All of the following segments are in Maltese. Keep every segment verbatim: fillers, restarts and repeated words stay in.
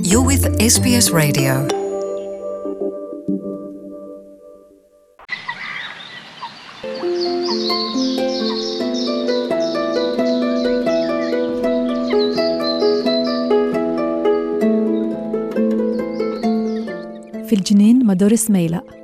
You're with S B S Radio. Fil-ġnien ma' Doris Mejlaq.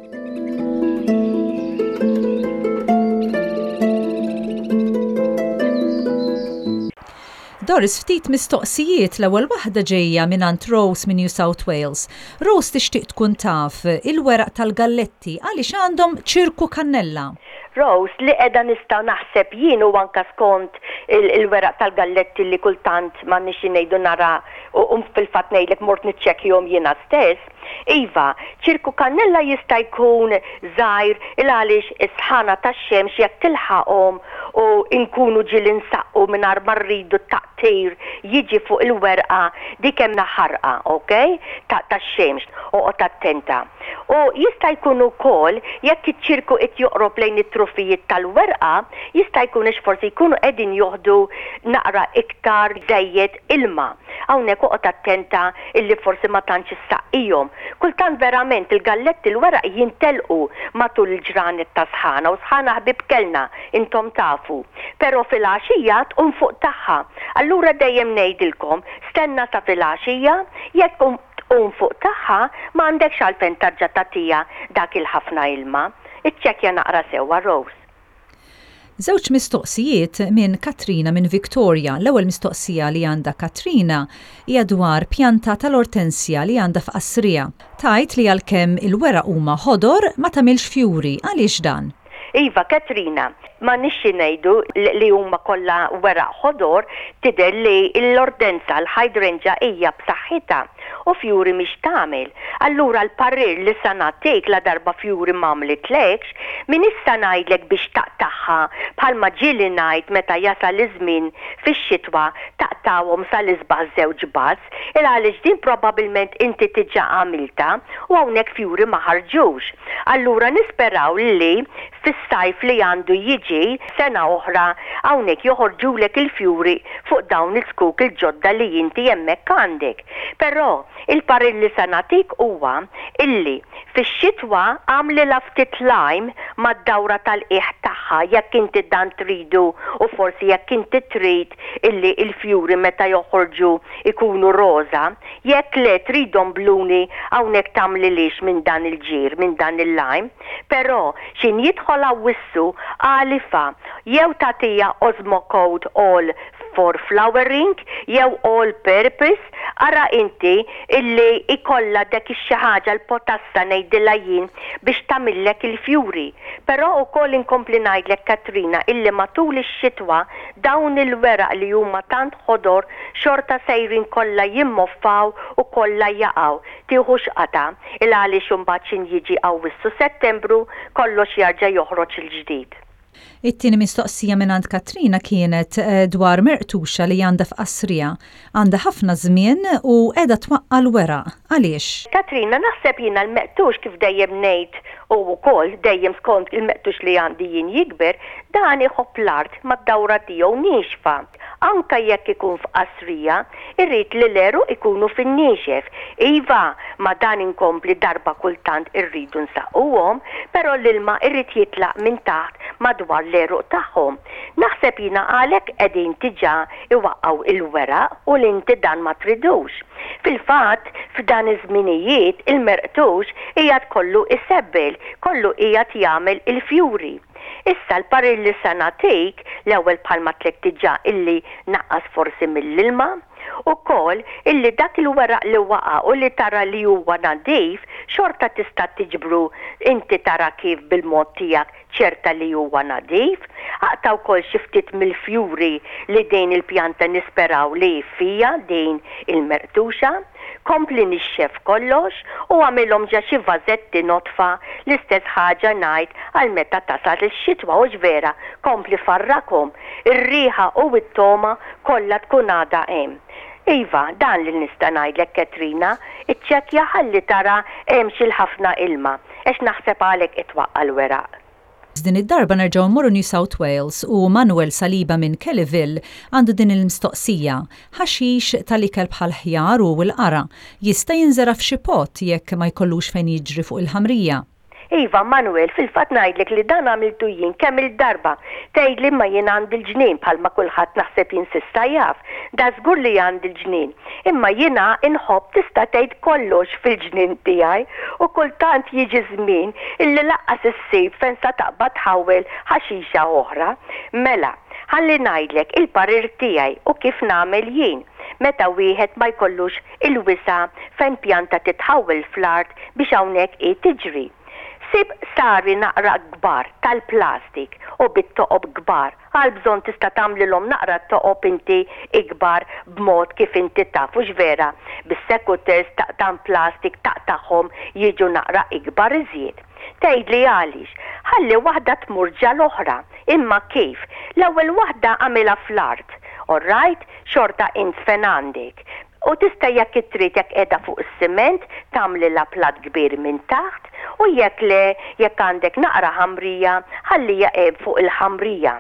Doris, ftit mistoqsijiet. L-ewwel waħda ġejja minn Rose minn New South Wales. Rose tixtieq tkun taf il-weraq tal-galletti għaliex għandhom ċirku kannella. Rose, li qiegħda nista' naħseb jien u anka skont il-weraq tal-galletti li kultant ma nixi ngħidu nara u fil-fatt ngħidlek mort niċċekkjahom jiena stess. Iva, ċirku kannella jista' jkun żgħir il għaliex is-sħana tax-xemx jekk tilħaqhom u nkunu ġieli nsaqqu mingħajr ma rridu taqtir jiġi fuq il-werqa, dik hemm ħarqa, ok? Tax-xemx, oqgħod attenta. U jista' jkun ukoll jekk iċ-ċirku qed joqrob lejn it-trufijiet tal-werqa, jista' jkun għax forsi jkunu qegħdin joħdu naqra iktar żejjed ilma. Hawnhekk oqgħod attenta illi forsi ma tantx issaqqihom. Kultant verament il-galletti l-weraq jintelqu matul il-ġranet ta' sħana u sħana ħbib kellna, intom tafu. Però fil-għaxija tqum fuq tagħha. Allura dejjem ngħidilkom stenna sa fil-għaxija, jekk tqum fuq tagħha ma għandekx għalfejn tarġa' tagħtiha dak il-ħafna ilma. Iċċekkja naqra sewwa, Rose. Żewġ mistoqsijiet minn Katrina minn Victoria. L-ewwel mistoqsija li għandha Katrina hija dwar pjanta tal-ortensja li għandha f'qasrija. Tgħid li għalkemm il-weraq huma ħodor ma tagħmilx fjuri. Għaliex dan? Iva, Katrina, ma nixi ngħidu li huma kollha weraq ħodor, tidher li l-ortenza, l-hydrangea, hija b'saħħitha u fjuri mhix tagħmel. Allura l-parir li sa nagħtik, la darba fjuri m'għamlitlekx, min issa ngħidlek biex taqtagħha bħalma ġieli ngħid meta jasal iż-żmien fix-xitwa taqtawhom sal-isbaħ żewġ buds, il għaliex din probabbilment inti diġà għamilta u hawnhekk fjuri ma ħarġux. Allura nisperaw li fis-sajf li għandu jiġi sena oħra hawnhekk joħorġulek il-fjuri fuq dawn il-skuk il-ġodda li inti hemmhekk għandek. Però il-parir li sa nagħtik huwa illi fix-xitwa għamlilha ftit lime mad-dawra tal-qiegħ tagħha jekk inti dan tridu u forsi jekk inti trid illi il-fjuri meta joħorġu ikunu roża, jekk le tridhom bluni, hawnhekk tagħmlilix minn dan il-ġir, minn dan il-lime, però xin jidħol Awwissu għalifha jew tagħtiha Osmocote All for Flowering jew All Purpose, ara inti illi ikolla dak ix-xi ħaġa, l-potassa ngħidilha jien, biex tagħmillek il-fjuri. Però ukoll inkompli ngħidlek, Katrina, illi matul ix-xitwa dawn il-weraq li huma tant ħodor xorta sejrin kollha jimmoffaw u kollha jaqgħu. Tieħux qata il għaliex imbagħad xin jiġi Awwissu, Settembru kollox jarġa' joħroġ il-ġdid. It-tieni mistoqsija minn Katrina kienet eh, dwar merqtuxa li għandha f'qasrija. Għandha ħafna żmien u qiegħda twaqqa l-weraq. Għaliex? Katrina, naħseb jiena l-meqtux, kif dejjem ngħid u wkoll dejjem skont il-meqtux li għandi jien jikber, dan iħobb l-art mad-dawra tiegħu niexfa. Anka jekk ikun f'qasrija, irrid li l-għeruq ikunu fin-niexef. Iva, ma dan inkompli darba kultant irridu nsaqquhom, però l-ilma irrid jitlaq minn taħt madwar l-għeruq tagħhom. Naħseb jiena għalhekk qegħdin diġà iwaqqgħu il-weraq u li inti dan ma tridux. Fil-fatt, f'dan iż-żminijiet il-merqtux qiegħed kollu isebbel, kollu qiegħed jagħmel il-fjuri. Issa l-parir li sa nagħtik, l-ewwel bħalma għedtlek diġà illi naqqas forsi mill-ilma, ukoll illi dak il-weraq li waqa' u li tara li huwa nadif, xorta tista' tiġbru, inti tara kif bil-mod tiegħek ċerta li huwa nadif. Aqta' wkoll xi ftit mill-fjuri li din il-pjanta nisperaw li fija din il-merqtuxa. Kompli nixxef kollox u għamilhom ġa xi vażetti nodfa, l-istess ħaġa ngħid għal meta tasal ix-xitwa u vera kompli farrakhom. Ir-riħa u t-toma kollha tkun għadha hemm. Iva, dan li nista' ngħidlek, Katrina, iċċekkja ħalli tara hemm xi ħafna ilma, għax naħseb għalhekk itwaqqa' l-weraq. Din id-darba nerġgħu mmorru New South Wales u Manuel Saliba minn Kellyville għandu din il-mistoqsija. Ħaxix tal-ikel bħal ħjar u l-qara jista' jinżera f'xi pot jekk ma jkollux fejn jiġri fuq il-ħamrija. Iva, Manuel, fil-fatt ngħidlek li dan għamiltu jien kemm il-darba. Tgħidli ma jien għandi l-ġnien bħalma kulħadd naħseb jien s'issa jaf. Da żgur li għandi l-ġnien. Imma jiena inħobb tista' tgħid kollox fil-ġnien tiegħi u kultant jiġi żmien illi lanqas issib fejn sa taqbad tħawwel ħaxixa oħra. Mela, ħalli ngħidlek il-parir tiegħi u kif nagħmel jien meta wieħed ma jkollux il-wisa fejn pjanta titħawwel fl-art biex hawnhekk hi tiġri. Sib qsari naqra kbar tal-plastik u bit-toqob kbar. Għal bżonn tista' tagħmlilhom naqra toqob inti ikbar b'mod kif inti taf hux vera. Bis-secateurs taqta' plastik taqtagħhom jiġu naqra ikbar iżjed. Tgħidli għaliex, ħalli waħda tmur ġa l-oħra, imma kif? L-ewwel waħda għamilha fl-art. All right, xorta int fejn għandek. U tista' jekk trid jekk qiegħda fuq is-siment tagħmlilha plat kbir minn taħt u jekk le jekk għandek naqra ħamrija ħallija fuq il-ħamrija.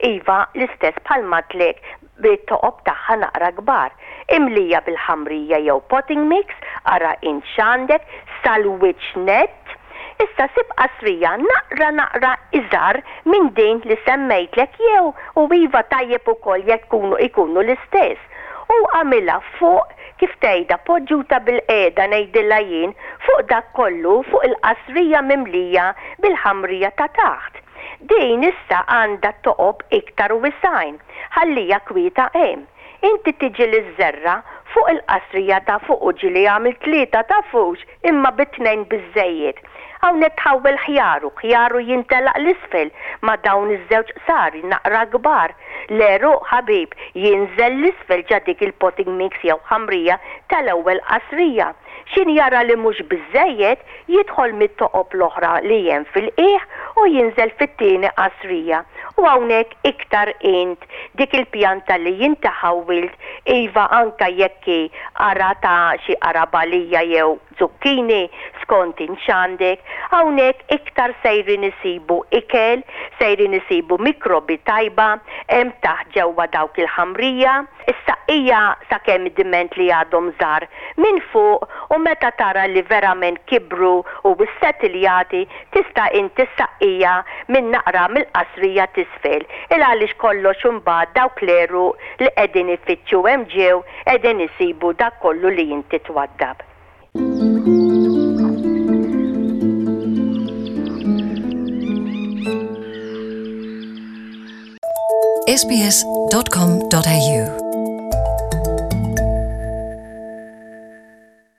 Iva l-istess bħalma għedtlek bit-toqob tagħha naqra kbar. Imlija bil-ħamrija jew potting mix, ara int x'għandek sal-wiċċ net. Issa sib qasrija naqra naqra iżgħar minn din li semmejtlek jew u iva tajjeb ukoll jekk ikunu ikunu l-istess. U għamilha fuq kif tgħidha poġġuta bil-qiegħda ngħidilha jien fuq dak kollu fuq il-qasrija mimlija bil-ħamrija ta' taħt. Din issa għandha toqob iktar wisgħin, ħallija kwieta hemm. Inti tiġi l-żerra fuq il-qasrija ta' fuq u ġieli għamil tlieta ta' fux imma bit-tnejn biżejjed. Hawnhekk tħawwel ħjaru, ħjaru jintelaq l-isfel ma' dawn iż-żewġ qsari naqra kbar. L-għeruq ħabib jinżel l-isfel ġa dik il-potting mix jew ħamrija tal-ewwel qasrija. Xin jara li mhux biżejjed jidħol mit-toqob l-oħra li hemm fil-qiegħ u jinżel fit-tieni qasrija. U hawnhekk iktar int dik il-pjanta li jinti ħawwilt iva anka jekk hi qara ta' xi qarabalija jew zucchini skont int x'għandek, hawnhekk iktar sejrin isibu ikel, sejrin isibu mikrobi tajba, hemm taħt ġewwa dawk il-ħamrija. Issa hija sakemm diment li għadhom żgħar minn fuq u meta tara li verament kibru u ssettiljati tista' inti ssaqqija minn naqra mill-qasrija t'isfel. Il għaliex kollox imbagħad dawk l-għeruq li qegħdin ifittxu hemm ġew qegħdin isibu dak kollu li inti twaddab. S B S dot com dot A U